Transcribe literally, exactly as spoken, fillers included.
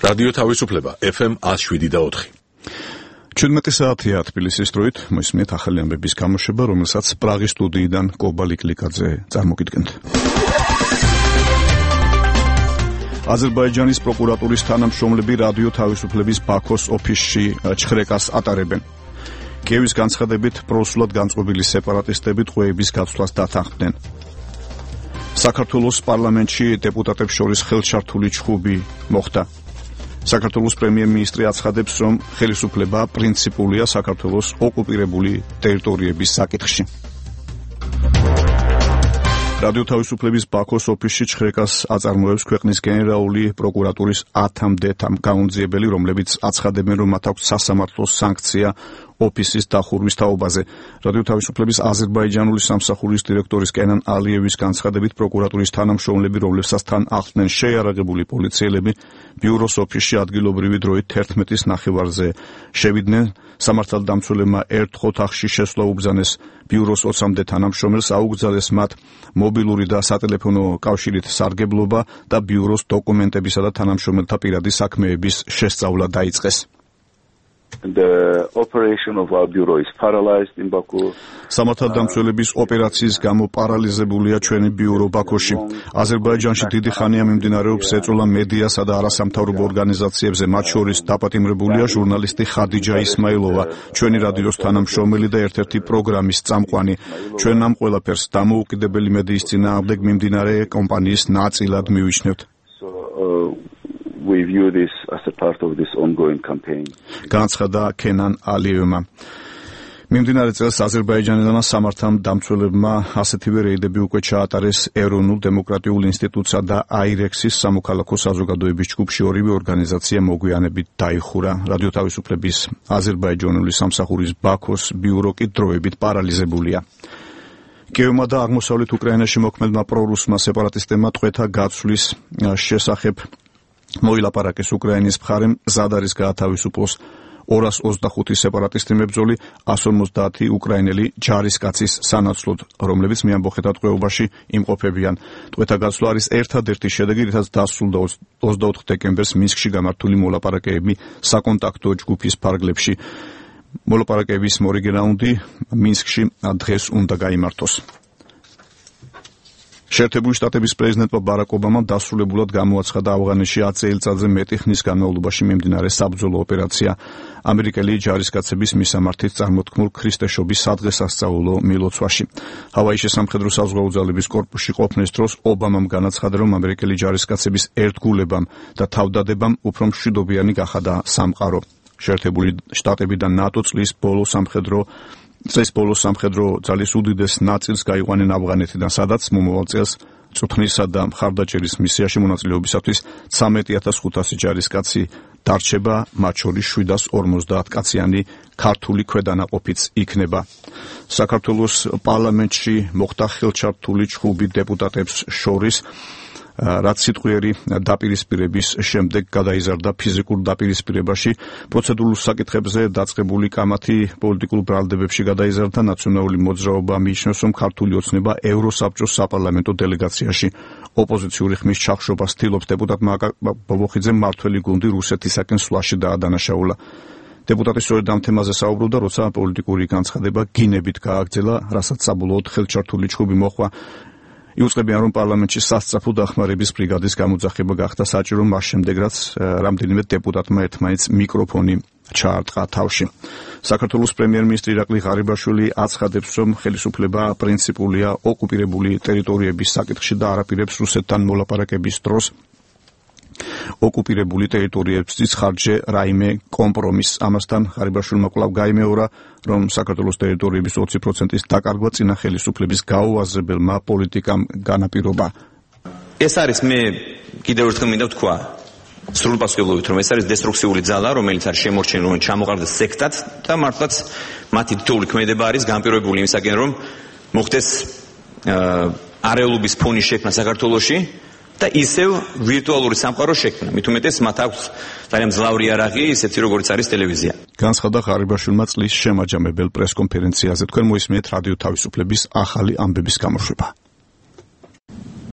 რადიო თავისუფლება ეფ ემ one oh seven და four. ჩვიდმეტი საათია თბილისის დროით, მოისმენთ ახალი ამბების გამოშვება, რომელსაც პრაღის სტუდიიდან კობალი კლიკაძე წარმოგიდგენთ. აზერბაიჯანის პროკურატურის თანამშრომლები რადიო თავისუფლების ბაქოს ოფისში ჩხრეკას ატარებენ. კიევის განცხადებით პროსულად განწყობილი სეპარატისტები ტყვეების გაცვლას დათანხმდნენ. საქართველოს პარლამენტში დეპუტატებს შორის ხელშართული ჩხუბი მოხდა. საქართველოს პრემიერ-მინისტრი აცხადებს, რომ ხელისუფლება პრინციპულია საქართველოს ოკუპირებული ტერიტორიების საკითხში. რადიო თავისუფლების ბაქოს ოფისში ჩხრეკას აწარმოებს ქვეყნის გენერალური პროკურატურის ათამდე გამომძიებელი, რომლებიც აცხადებენ, რომ მათ აქვს სასამართლოს სანქცია ოფისის დახურვის თაობაზე. რადიო თავისუფლების აზერბაიჯანული სამსახურის დირექტორის კენან ალიევის განცხადებით, პროკურატურის თანამშრომლები, რომლებსაც თან ახლდნენ შეიარაღებული პოლიციელები, ბიუროს ოფისში ადგილობრივი დროით თერთმეტის ნახევარზე შევიდნენ. სამართალდამცველებმა ერთ ოთახში შესვლა უბრძანეს ბიუროს ოცამდე თანამშრომელს, აუგზავნეს მათ მობილური და სატელეფონო კავშირით სარგებლობა და ბიუროს დოკუმენტებისა და თანამშრომელთა პირადი საქმეების შესწავლა დაიწყეს. The operation of our bureau is paralyzed in Baku. სამართალდამცველების ოპერაციის გამო პარალიზებულია ჩვენი ბიურო ბაქოში. აზერბაიჯანში დიდი ხანია მიმდინარეობს ეწოლა მედიასა და არასამთავრობო ორგანიზაციებზე, მათ შორის დაპატიმრებულია ჟურნალისტი ხადიჯა ისმაილოვა, ჩვენი რადიოს თანამშრომელი და ერთ-ერთი პროგრამის წამყვანი. ჩვენ ამ ყველაფერს დამოუკიდებელი მედიის წინააღმდეგ მიმდინარე კომპანიის ნაწილად მივიჩნევთ. We view this as a part of this ongoing campaign. განცხადა კენან ალიევმა. მიმდინარე წელს აზერბაიჯანელმა სამართალდამცველებმა ასეთივე რეიდები უკვე ჩაატარეს ეროვნულ დემოკრატიულ ინსტიტუტსა და აირექსის სამოქალაქო საზოგადოების ჯგუფში. ორივე ორგანიზაცია მოგვიანებით დაიხურა. რადიო თავისუფლების აზერბაიჯანული სამსახურის ბაქოს ბიურო კი დროებით პარალიზებულია. კიევმა და აღმოსავლეთ უკრაინაში მოქმედმა პრორუსმა სეპარატისტებმა ტყვეთა გაცვლის შესახებ მოილაპარაკეს უკრაინის მხარემ, მზად არის გაათავისუფლოს ორას ოცდახუთი სეპარატისტი მებრძოლი, one fifty უკრაინელი ჯარისკაცის სანაცვლოდ, რომლებიც მეამბოხეთა ტყვეობაში იმყოფებიან. ტყვეთა გაცვლა არის ერთადერთი შედეგი, რითაც დასრულდა ოცდაოთხ დეკემბერს მინსკში გამართული მოლაპარაკებები საკონტაქტო ჯგუფის ფარგლებში. მოლაპარაკებების მორიგი რაუნდი მინსკში დღეს უნდა გაიმართოს. შეერთებული შტატების პრეზიდენტმა ბარაკ ობამამ დასრულებულად გამოაცხადა ავღანეთში ათი წელიწადზე მეტი ხნის განმავლობაში მიმდინარე საბრძოლო ოპერაცია ამერიკელი ჯარისკაცების მისამართით წარმოთქმულ ქრისტეშობის სადღესასწაულო მილოცვაში. ჰავაის სამხედრო საზღვაო ძალების კორპუსში ყოფნის დროს ობამამ განაცხადა, რომ ამერიკელი ჯარისკაცების ერთგულებამ და თავდადებამ უფრო მშვიდობიანი გახადა სამყარო. შეერთებული შტატები და ნატო წლის ბოლო სამხედრო წლის ბოლო სამხედრო ძალის უდიდეს ნაწილს გაიყვანენ ავღანეთიდან, სადაც მომავალ წელს წვრთნისა და მხარდაჭერის მისიაში მონაწილეობისათვის ცამეტი ათას ხუთასი ჯარისკაცი დარჩება, მათ შორის შვიდას ორმოცდაათ კაციანი ქართული ქვედანაყოფიც იქნება. საქართველოს პარლამენტში მოხდა ხელჩართული ჩხუბი დეპუტატებს შორის, რაც სიტყვიერი დაპირისპირების შემდეგ გადაიზარდა ფიზიკურ დაპირისპირებაში. პროცედურულ საკითხებზე დაწყებული კამათი პოლიტიკურ ბრალდებებში გადაიზარდა. ნაციონალური მოძრაობა მიიჩნევს, რომ ქართული ოცნება ევროსაბჭოს საპარლამენტო დელეგაციაში ოპოზიციური ხმის ჩახშობას ცდილობს. დეპუტატ მაკა ბობოხიძემ მართველი გუნდი რუსეთისაკენ სვლაში დაადანაშაულა. დეპუტატი სწორედ ამ თემაზე საუბრობდა, როცა პოლიტიკური განცხადება გინებით გააგრძელა, რასაც საბოლოოდ ხელჩართული ჩხუბი მოჰყვა. იუწყებიან, რომ პარლამენტში სასწრაფო დახმარების ბრიგადის გამოძახება გახდა საჭირო, მას შემდეგ რაც რამდენიმე დეპუტატმა ერთმანეთს მიკროფონი ჩაარტყა თავში. საქართველოს პრემიერ-მინისტრი ირაკლი ღარიბაშვილი აცხადებს, რომ ხელისუფლება პრინციპულია ოკუპირებული ტერიტორიების საკითხში და არაპირებს რუსეთთან მოლაპარაკების დროს ოკუპირებული ტერიტორიებისთვის ხარჯზე რაიმე კომპრომისს. ამასთან ღარიბაშვილმა კვლავ გაიმეორა, რომ საქართველოს ტერიტორიების ოცი პროცენტის დაკარგვა წინა ხელისუფლების გაუაზრებელმა პოლიტიკამ განაპირობა. ეს არის მე კიდევ ერთხელ მინდა ვთქვა სრულპასუხებლობით, რომ ეს არის დესტრუქციული ძალა, რომელიც არის შემორჩენილი, რომ ჩამოყარდეს სექტად და მართლაც მათი თითოეული ქმედება არის განპირობებული იმისაკენ, რომ მოხდეს არეულობის ფონის შექმნა საქართველოში და ისევ ვირტუალური სამყარო შექმნა. მით უმეტეს მათ აქვს ძალიან მძლავრი იარაღი, ისეთი როგორც არის ტელევიზია. განცხადა ღარიბაშვილმა წლის შემაჯამებელ პრესკონფერენციაზე. თქვენ მოისმინეთ რადიო თავისუფლების ახალი ამბების გამოშვება.